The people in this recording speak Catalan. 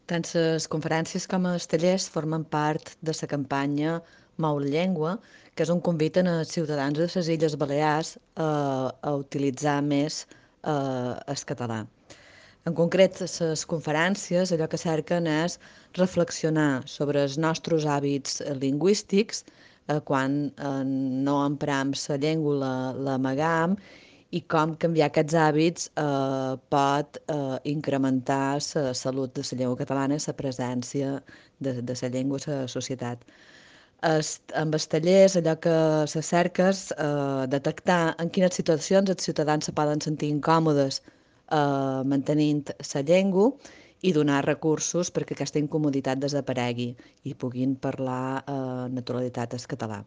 Tant les conferències com els tallers formen part de la campanya Mou la Llengua, que és un convit als ciutadans de les Illes Balears a utilitzar més el català. En concret, les conferències allò que cerquen és reflexionar sobre els nostres hàbits lingüístics quan no empram la llengua, l'amagam, i com canviar aquests hàbits pot incrementar la salut de la llengua catalana i la presència de la llengua a la societat. Amb els tallers, allò que se cerca és detectar en quines situacions els ciutadans se poden sentir incòmodes mantenint la llengua i donar recursos perquè aquesta incomoditat desaparegui i puguin parlar naturalitat el català.